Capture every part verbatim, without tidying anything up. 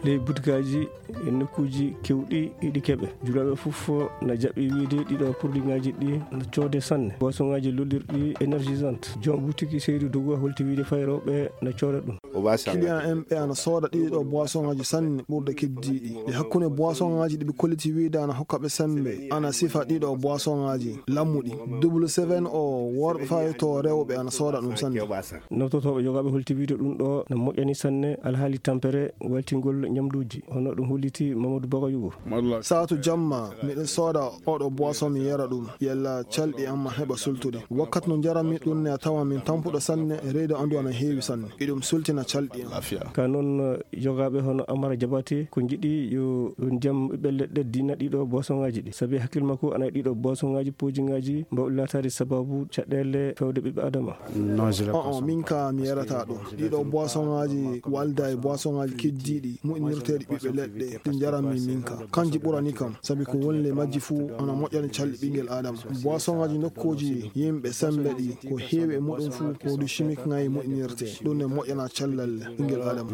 Ley butikaaji e nokkuuji keewɗi, iɗi keɓe. Julaaɓe fof na jaɓɓi wiyde ɗiɗo produitŋaaji ɗi na coode sanne. Boisonŋaaji lollirɗi énergisante. Joom butiki Seydou Dougou holti wiyde fay rewɓe na cooda ɗum. Client en ɓe ana sooda ɗiɗo boisonŋaaji sanne ɓurde keddiiɗi. E hakkunde boisonŋaaji ɗi ɓe kolliti wiyde ana hokka ɓe semmbe, ana sifa ɗiɗo boisonŋaaji lammuɗi. Double seven o, worɓe fayto rewɓe ana sooda ɗum sanne. Naftortooɓe jogaaɓe holti wiyde ɗum ɗo na moƴƴani sanne alhaali tampere waltingol ñamduuji, hono ɗum holliti Mamadou Bagayugo. Saatu jamma, miɗen sooda oɗo boisson mi yara ɗum, yalla calɗi am ma heɓa sultude. Wakkati no njaranmi ɗum ne a tawan min tampuɗo sanne, reedu andu ana heewi sanne. Iɗum sultina calɗi am. Ka noon, jogaaɓe hono Amara Jabate ko njiɗi yo ndiyam ɓiɓɓe leɗɗe dina ɗiɗo boisonŋaaji ɗi. Sabi hakkil makko ana e ɗiɗo boisonŋaaji poojiŋaaji mbaw laataade sababu caɗeele fewde ɓiɓɓe Adama. On, min ka mi yarata ɗum. Ɗiɗo boisonŋaaji walda e boisonŋaaji keddiiɗi moƴƴinirteeɗi ɓiɓɓe leɗɗe ɗi njaranmi min ka. Kanji ɓurani kam, sabi ko woni ley majji fuu ana moƴƴani calɗi ɓinngel Adama. Boisonŋaaji nokkuuji yimɓe semmbe ɗi, ko heewi e muɗum fuu produit chimique ŋaayi moƴƴinirte. Ɗum ne moƴƴana cellal ɓinngel Adama.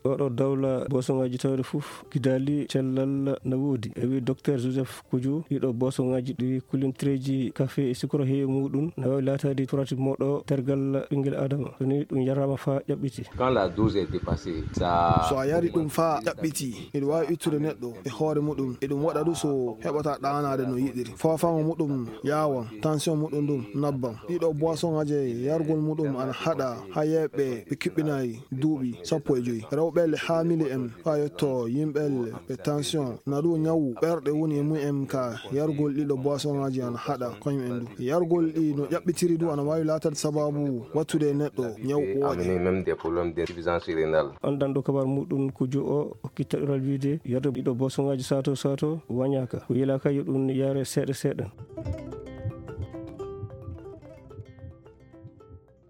Oɗo dawla boisonŋaaji tawde fof gidaali cellal na woodi. E wi Docteur Joseph Kuju, ɗiɗo boisonŋaaji ɗi kulintireeji kafe e sukara heewi muɗum, na waawi laataade turati moɗo tergal ɓinngel Adama. So ni ɗum yaraama faa ƴaɓɓiti. Quand la dose est dépassée, ça... So a yari ɗum faa ƴaɓɓiti, iɗum waawi ittude neɗɗo e hoore muɗum. Iɗum waɗa ɗum so heɓata ɗaanaade no yiɗiri. Foofaango muɗum yaawan, tension muɗum ɗum nabban. Ɗiɗo boisonŋaaji yargol muɗum ana haɗa haa yeeɓe ɓe kiɓɓinaay duuɓi sappo e joy. Rewɓe le haamili en faa yetto yimɓe le ɓe tension. Na ɗum ñawu ɓerɗe woni e mumen ka yargol ɗiɗo boisonŋaaji ana haɗa koyum en du. Yargol ɗi no ƴaɓɓitiri du ana waawi laatade sababu wattude e neɗɗo ñawu ɓooƴe. Amener même des problèmes d'insuffisance rénale. Anndanɗo kabar muɗum Kuju o hokki taƴoral wiyde yarde ɗiɗo boisonŋaaji sato sato wañaaka. Ko yilaaka yo ɗum yare seeɗa seeɗa.